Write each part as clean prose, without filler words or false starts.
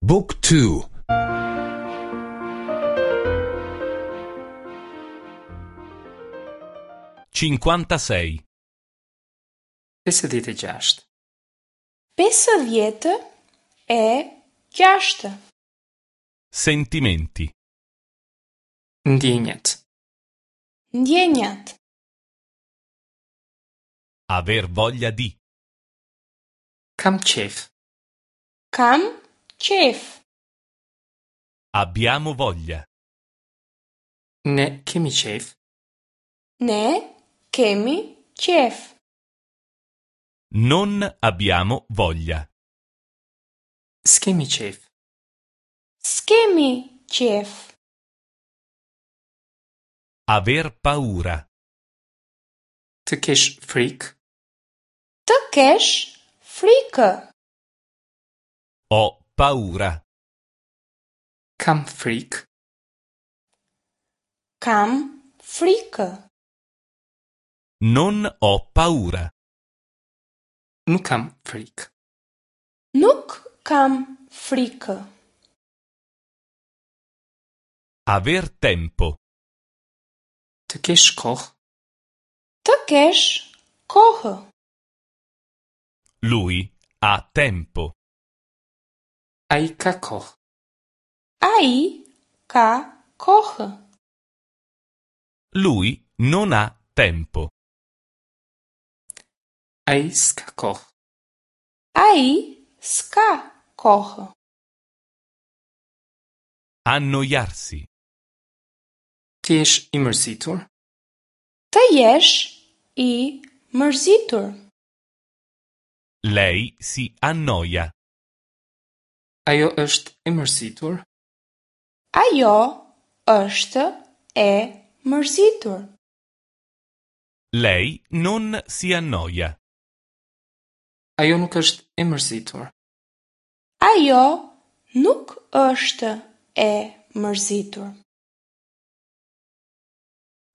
บุ๊กทู 56. 56. 56. Sentimenti. Ndjenjat. Ndjenjat. Aver voglia di. Kam qejf. Kam qejf. Abbiamo voglia. Ne kemi qejf. Ne kemi qejf. Non abbiamo voglia. S'kemi qejf. S'kemi qejf. Aver paura. Të kesh frikë. Të kesh frikë. Ho paura. Kam frikë. Kam frikë. Non ho paura. Nuk kam frikë. Nuk kam frikë. Aver tempo. Të kesh kohë. Të kesh kohë. Lui ha tempo. Ai ka kohë. Ai ka kohë. Lui non ha tempo. Ai s'ka kohë. Ai s'ka kohë. Annoiarsi. Të jesh i mërzitur. Të jesh i mërzitur. Lei si annoia. Ajo është e mërzitur. Ajo është e mërzitur. Lei non si annoia. Ajo nuk është e mërzitur. Ajo nuk është e mërzitur.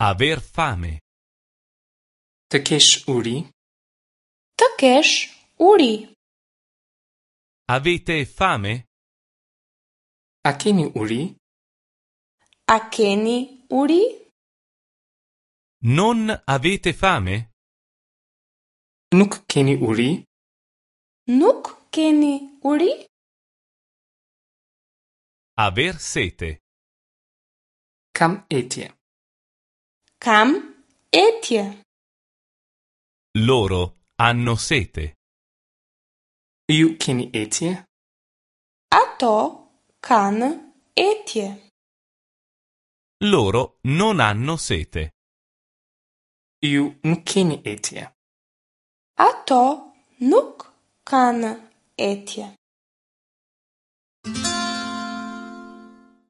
Aver fame. Të kesh uri. Të kesh uri. Avete fame? A keni uri? A keni uri? Non avete fame? Nuk keni uri? Nuk keni uri? Aver sete. Kam etje. Kam etje. Loro hanno sete. Ju keni etje? Ato kanë etje. Loro non hanno sete. Ju nuk keni etje. Ato nuk kanë etje.